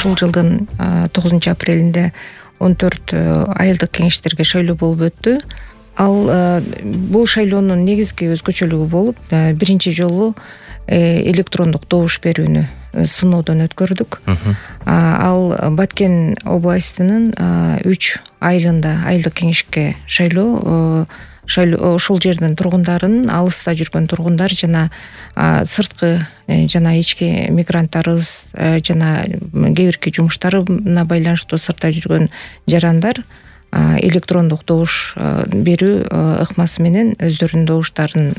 ушул жылдын 9 апрелинде 14 айылдык кеңештерге шайлоо болуп өттү. Ал бул шайлоонун негизги өзгөчөлүгү болуп, биринчи жолу электрондук добуш берүүнү сыноодон өткөрдүк. Ал Баткен областынын 3 айылында айылдык кеңешке шайлоо ошол жердин тургундарын, алыста жүргөн тургундар жана сырткы жана ички мигранттарыбыз жана кээ бирки жумуштарына байланыштуу сыртта жүргөн жарандар электрондук добуш берүү ыкмасы менен өздөрүнүн добуштарын,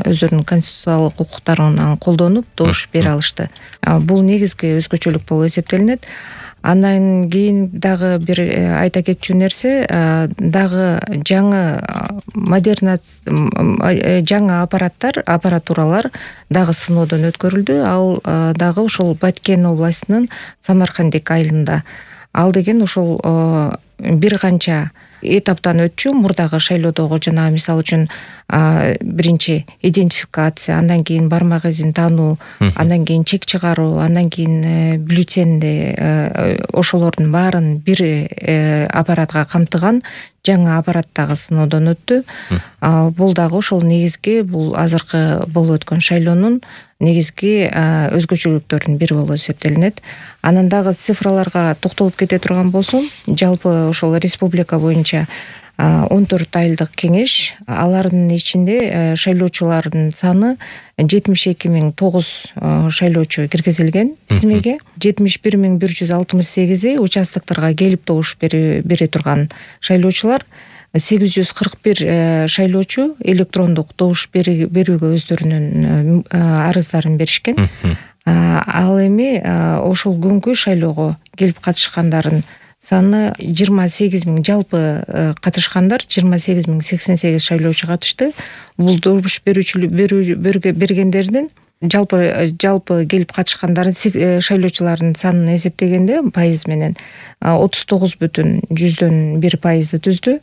өздөрүнүн конституциялык укуктарын колдонуп добуш бере алышты. Бул негизги өзгөчөлүк болуп эсептелинет. Андан кийин дагы бир айта кетчү нерсе, дагы жаңы аппаратуралар дагы сыноодон өткөрүлдү. Ал дагы ошол Баткен областынын Самаркандек айылында. Ал деген ошол бир канча этаптан өтчү. Мурдагы шайлоодогу жана мисалы үчүн биринчи идентификация, андан кийин бармак изин таануу, андан кийин чек чыгаруу, андан кийин бюллетенди, ошолордун баарын бир аппаратка камтыган жаңы аппарат дагы сыноодон өттү. Бул дагы ошол негизги, бул азыркы болуп өткөн шайлоонун негизги өзгөчөлүктөрүнүн бири болуп эсептелинет. Анан дагы цифраларга токтолуп кете турган болсом, жалпы ошол республика боюнча 14 айылдык кеңеш, алардын ичинде шайлоочулардын саны 72.009 шайлоочу киргизилген тизмеге. 71.168 участокторго келип добуш бере турган шайлоочулар, 841 шайлоочу электрондук добуш берүүгө өздөрүнүн арыздарын беришкен. Ал эми ошол күнгү шайлоого келип катышкандардын саны 28.000, жалпы катышкандар 28.088 шайлоочу катышты. Бул добуш бергендердин жалпы келип катышкандардын шайлоочулардын санын эсептегенде пайыз менен 39,1% түздү.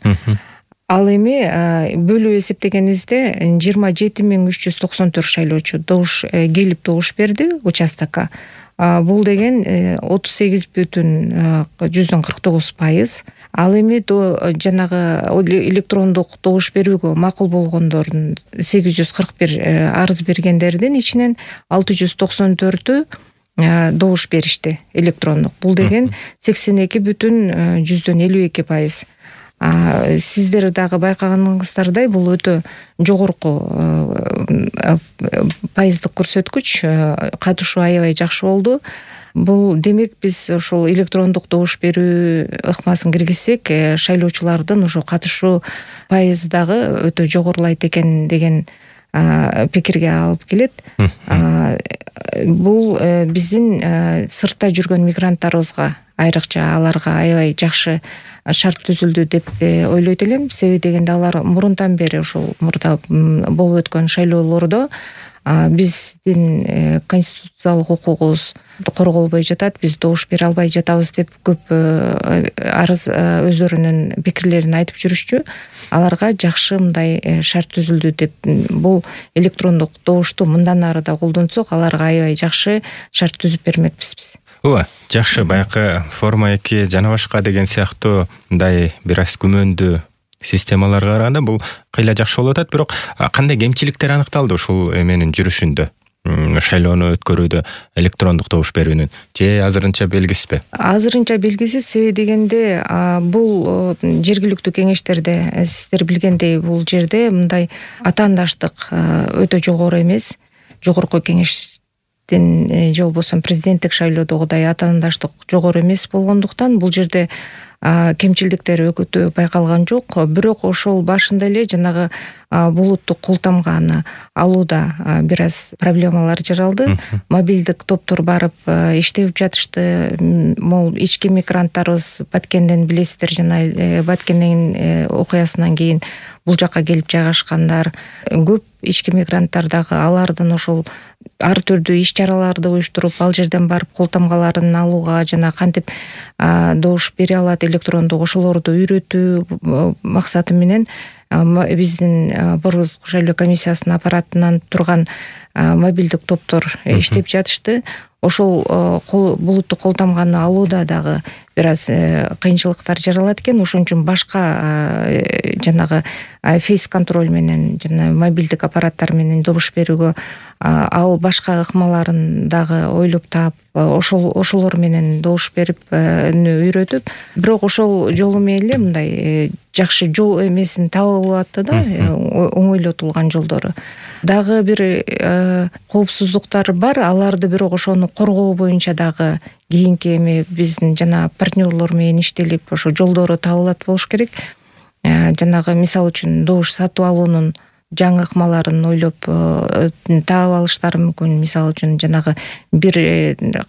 Ал эми бөлүү эсептегенибизде 27.394 шайлоочу келип добуш берди участокко. Бул деген 38,49%. Ал эми жанагы электрондук добуш берүүгө макул болгондордун 841 арыз бергендердин ичинен 694-ү добуш беришти электрондук. Бул деген 82,52%. Сиздер дагы байкаганыңыздардай, бул өтө жогорку пайыздык көрсөткүч, катышуу аябай жакшы болду. Бул демек биз ошол электрондук добуш берүү ыкмасын киргизсек, шайлоочулардын ошо катышуу пайызы дагы өтө жогорулайт экен деген пикирге алып келет. Бул биздин сыртта жүргөн мигранттарыбызга, айрыкча аларга аябай жакшы шарт түзүлдү деп ойлойт элем. Себеби дегенде алар мурунтан бери ошол мурда болуп өткөн шайлоолордо биздин конституциялык укугубуз корголбой жатат, биз добуш бере албай жатабыз деп көп арыз өздөрүнүн пикирлерин айтып жүрүшчү. Аларга жакшы мындай шарт түзүлдү деп, бул электрондук добушту мындан ары да колдонсок, аларга аябай жакшы шарт түзүп бермекпиз биз. Ооба, жакшы. Баягы форма 2 жана башка деген сыяктуу мындай бир аз күмөндүү системаларга караганда бул кыйла жакшы болуп атат. Бирок кандай кемчиликтер аныкталды ушул эменин жүрүшүндө? Шайлоону өткөрүүдө электрондук добуш берүүнүн же азырынча белгисизби? Азырынча белгисиз. Себеби дегенде бул жергиликтүү кеңештерде сиздер билгендей бул жерде мындай атаандаштык өтө жогору эмес. Жогорку кеңештин же болбосо президенттик шайлоодогудай атаандаштык жогору эмес болгондуктан бул жерде кемчилдиктер өтө байкалган жок. Бирок ошол башында эле жанагы булуттук кол тамганы алууда бир аз проблемалар жаралды. Мобилдик топтор барып иштеп жатышты. Могул ички мигранттарыбыз Баткенден билесиздер, жана Баткендин окуясынан кийин бул жакка келип жайгашкандар көп. Ички мигранттар дагы алардын ошол ар түрдүү иш чараларды уюштуруп, ал жерден барып кол тамгаларын алууга жана кантип добуш бере алат электрондук, ошолорду үйрөтүү максаты менен биздин Борбордук шайлоо комиссиясынын аппаратынан турган мобилдик топтор иштеп жатышты. Ошол булуттук кол тамганы алууда дагы бир аз кыйынчылыктар жаралат экен. Ошон үчүн башка жанагы фейс контроль менен жана мобилдик аппараттар менен добуш берүүгө ал башка ыкмаларын дагы ойлоп таап ошолор менен добуш берип үйрөтүп, бирок ошол жолу менен мындай жакшы жол эмесин таап алып атты да, оңойлотулган жолдору. Дагы бир коопсуздуктар бар, аларды бирок ошону коргоо боюнча дагы кийинки эме биздин жана партнерлор менен иштелип ошо жолдору табылат болуш керек. Жанагы мисалы үчүн добуш сатып алуунун жаңы ыкмаларын ойлоп таап алыштары мүмкүн. Мисалы үчүн жанагы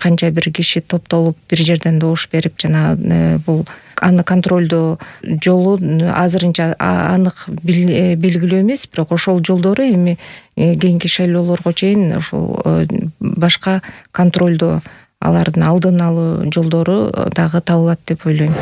канча бир киши топтолуп бир жерден добуш берип, жана бул аны контролдоо жолу азырынча анык белгилүү эмес, бирок ошол жолдору эми кийинки шайлоолорго чейин ошол башка контролдоо, алардын алдын алуу жолдору дагы табылат деп ойлойм.